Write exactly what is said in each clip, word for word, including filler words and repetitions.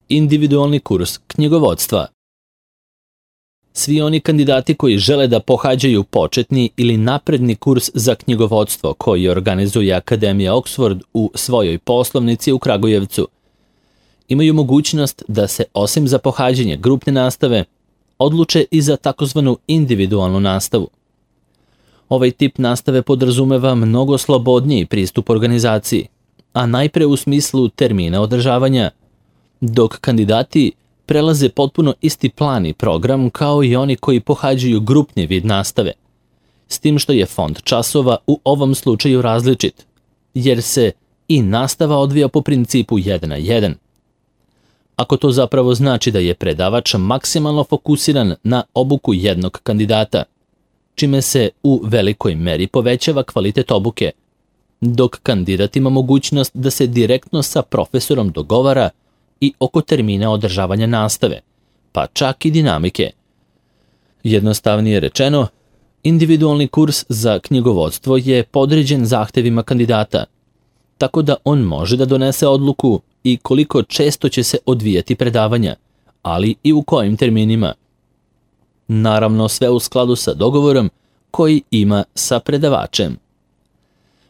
individualni kurs knjigovodstva. Svi oni kandidati koji žele da pohađaju početni ili napredni kurs za knjigovodstvo koji organizuje Akademija Oxford u svojoj poslovnici u Kragujevcu imaju mogućnost da se osim za pohađanje grupne nastave odluče i za takozvanu individualnu nastavu. Ovaj tip nastave podrazumeva mnogo slobodniji pristup organizaciji, a najpre u smislu termina održavanja, dok kandidati prelaze potpuno isti plan i program kao i oni koji pohađaju grupni vid nastave, s tim što je fond časova u ovom slučaju različit, jer se i nastava odvija po principu jedan na jedan. Ako to zapravo znači da je predavač maksimalno fokusiran na obuku jednog kandidata, čime se u velikoj meri povećava kvalitet obuke, dok kandidat ima mogućnost da se direktno sa profesorom dogovara i oko termina održavanja nastave, pa čak i dinamike. Jednostavnije rečeno, individualni kurs za knjigovodstvo je podređen zahtevima kandidata, tako da on može da donese odluku i koliko često će se odvijati predavanja, ali i u kojim terminima. Naravno, sve u skladu sa dogovorom koji ima sa predavačem.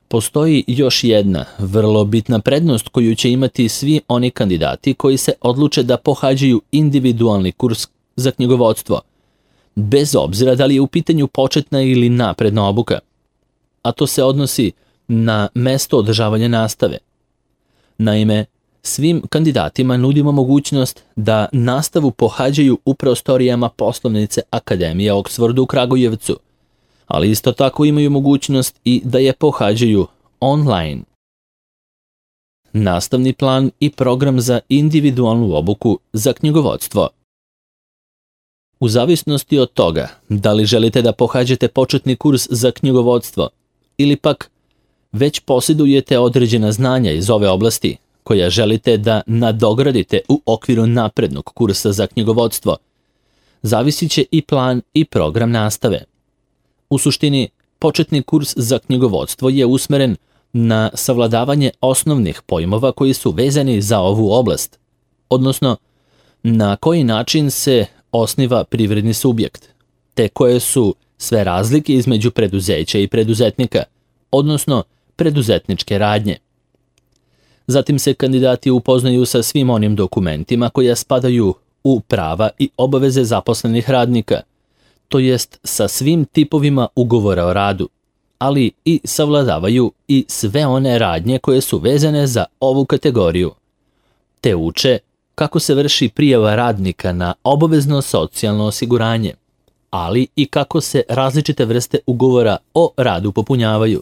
Postoji još jedna vrlo bitna prednost koju će imati svi oni kandidati koji se odluče da pohađaju individualni kurs za knjigovodstvo, bez obzira da li je u pitanju početna ili napredna obuka, a to se odnosi na mesto održavanja nastave. Naime, svim kandidatima nudimo mogućnost da nastavu pohađaju u prostorijama poslovnice Akademije Oxford u Kragujevcu, ali isto tako imaju mogućnost i da je pohađaju online. Nastavni plan i program za individualnu obuku za knjigovodstvo. U zavisnosti od toga da li želite da pohađate početni kurs za knjigovodstvo ili pak već posjedujete određena znanja iz ove oblasti koja želite da nadogradite u okviru naprednog kursa za knjigovodstvo, zavisit će i plan i program nastave. U suštini, početni kurs za knjigovodstvo je usmeren na savladavanje osnovnih pojmova koji su vezani za ovu oblast, odnosno na koji način se osniva privredni subjekt, te koje su sve razlike između preduzeća i preduzetnika, odnosno preduzetničke radnje. Zatim se kandidati upoznaju sa svim onim dokumentima koja spadaju u prava i obaveze zaposlenih radnika, to jest sa svim tipovima ugovora o radu, ali i savladavaju i sve one radnje koje su vezane za ovu kategoriju, te uče kako se vrši prijava radnika na obavezno socijalno osiguranje, ali i kako se različite vrste ugovora o radu popunjavaju,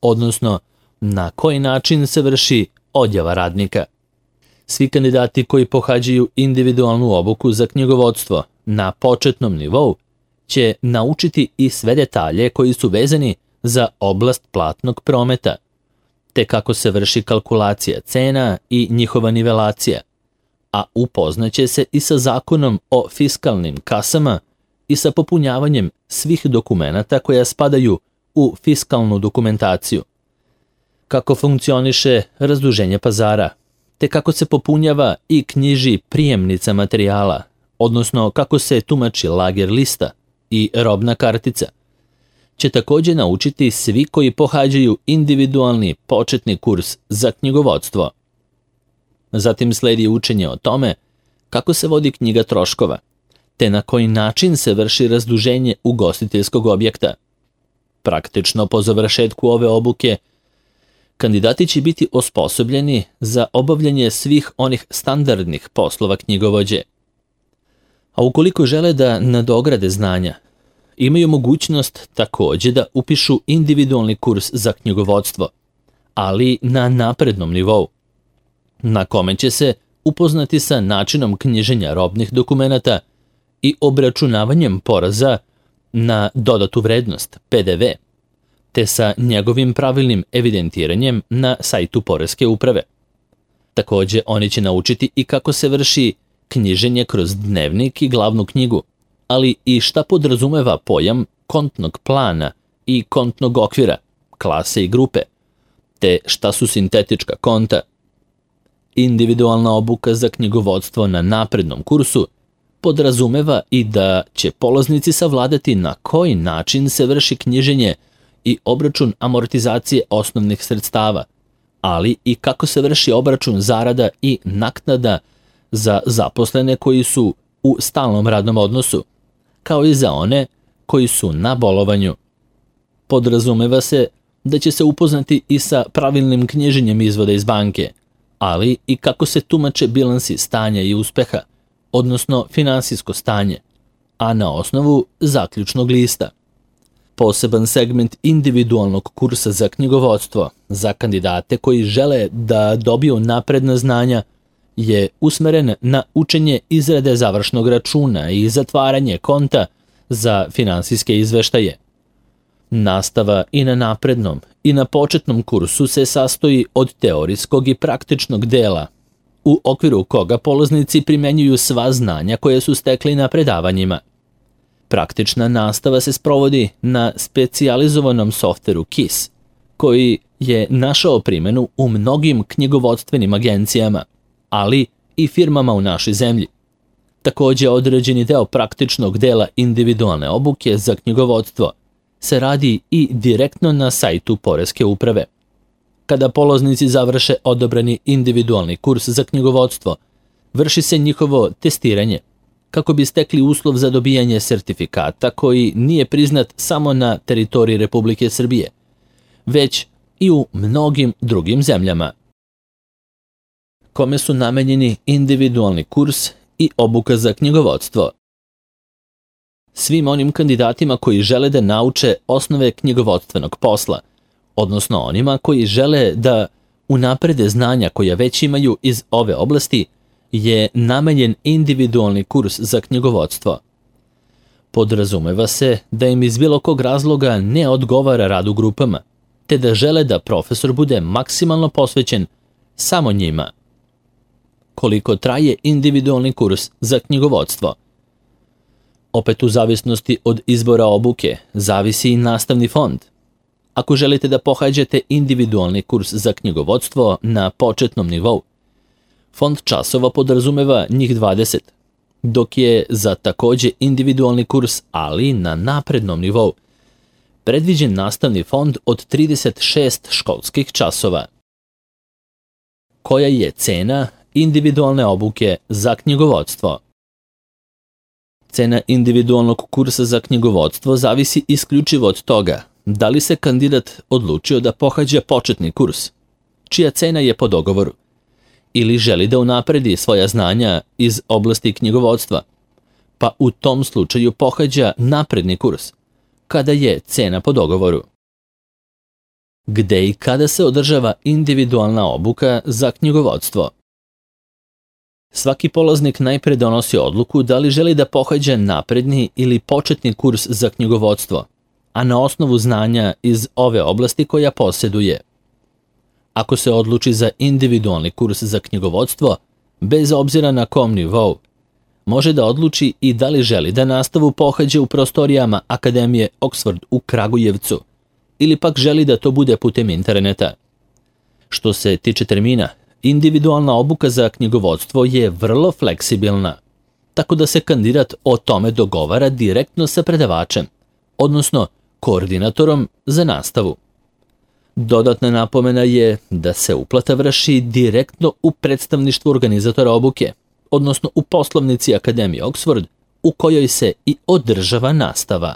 odnosno na koji način se vrši odjava radnika. Svi kandidati koji pohađaju individualnu obuku za knjigovodstvo na početnom nivou će naučiti i sve detalje koji su vezani za oblast platnog prometa, te kako se vrši kalkulacija cena i njihova nivelacija, a upoznaće se i sa zakonom o fiskalnim kasama i sa popunjavanjem svih dokumenata koja spadaju u fiskalnu dokumentaciju, kako funkcioniše razduženje pazara, te kako se popunjava i knjiži prijemnica materijala, odnosno kako se tumači lager lista i robna kartica, će također naučiti svi koji pohađaju individualni početni kurs za knjigovodstvo. Zatim sledi učenje o tome kako se vodi knjiga troškova, te na koji način se vrši razduženje ugostiteljskog objekta. Praktično po završetku ove obuke, kandidati će biti osposobljeni za obavljanje svih onih standardnih poslova knjigovođe. A ukoliko žele da nadograde znanja, imaju mogućnost također da upišu individualni kurs za knjigovodstvo, ali na naprednom nivou, na kome će se upoznati sa načinom knjiženja robnih dokumenata i obračunavanjem poreza na dodatu vrednost, P D V, te sa njegovim pravilnim evidentiranjem na sajtu Poreske uprave. Također, oni će naučiti i kako se vrši knjiženje kroz dnevnik i glavnu knjigu, ali i šta podrazumeva pojam kontnog plana i kontnog okvira, klase i grupe, te šta su sintetička konta. Individualna obuka za knjigovodstvo na naprednom kursu podrazumeva i da će polaznici savladati na koji način se vrši knjiženje i obračun amortizacije osnovnih sredstava, ali i kako se vrši obračun zarada i naknada za zaposlene koji su u stalnom radnom odnosu, kao i za one koji su na bolovanju. Podrazumeva se da će se upoznati i sa pravilnim knjiženjem izvoda iz banke, ali i kako se tumače bilansi stanja i uspeha, odnosno finansijsko stanje, a na osnovu zaključnog lista. Poseban segment individualnog kursa za knjigovodstvo za kandidate koji žele da dobiju napredna znanja je usmeren na učenje izrade završnog računa i zatvaranje konta za finansijske izveštaje. Nastava i na naprednom i na početnom kursu se sastoji od teorijskog i praktičnog dela, u okviru koga polaznici primenjuju sva znanja koje su stekli na predavanjima. Praktična nastava se sprovodi na specijalizovanom softveru K I S, koji je našao primjenu u mnogim knjigovodstvenim agencijama, ali i firmama u našoj zemlji. Također određeni deo praktičnog dela individualne obuke za knjigovodstvo se radi i direktno na sajtu Poreske uprave. Kada polaznici završe odabrani individualni kurs za knjigovodstvo, vrši se njihovo testiranje, kako bi stekli uslov za dobijanje sertifikata koji nije priznat samo na teritoriji Republike Srbije, već i u mnogim drugim zemljama. Kome su namenjeni individualni kurs i obuka za knjigovodstvo? Svim onim kandidatima koji žele da nauče osnove knjigovodstvenog posla, odnosno onima koji žele da unaprede znanja koja već imaju iz ove oblasti, je namenjen individualni kurs za knjigovodstvo. Podrazumeva se da im iz bilo kog razloga ne odgovara rad u grupama, te da žele da profesor bude maksimalno posvećen samo njima. Koliko traje individualni kurs za knjigovodstvo? Opet u zavisnosti od izbora obuke, zavisi i nastavni fond. Ako želite da pohađate individualni kurs za knjigovodstvo na početnom nivou, fond časova podrazumeva njih dvadeset, dok je za takođe individualni kurs, ali na naprednom nivou, predviđen nastavni fond od trideset šest školskih časova. Koja je cena individualne obuke za knjigovodstvo? Cena individualnog kursa za knjigovodstvo zavisi isključivo od toga da li se kandidat odlučio da pohađa početni kurs, čija cena je po dogovoru, ili želi da unapredi svoja znanja iz oblasti knjigovodstva, pa u tom slučaju pohađa napredni kurs, kada je cena po dogovoru. Gde i kada se održava individualna obuka za knjigovodstvo? Svaki polaznik najpre donosi odluku da li želi da pohađa napredni ili početni kurs za knjigovodstvo, a na osnovu znanja iz ove oblasti koja posjeduje. Ako se odluči za individualni kurs za knjigovodstvo, bez obzira na kom nivou, može da odluči i da li želi da nastavu pohađa u prostorijama Akademije Oxford u Kragujevcu, ili pak želi da to bude putem interneta. Što se tiče termina, individualna obuka za knjigovodstvo je vrlo fleksibilna, tako da se kandidat o tome dogovara direktno sa predavačem, odnosno koordinatorom za nastavu. Dodatna napomena je da se uplata vrši direktno u predstavništvu organizatora obuke, odnosno u poslovnici Akademije Oxford, u kojoj se i održava nastava.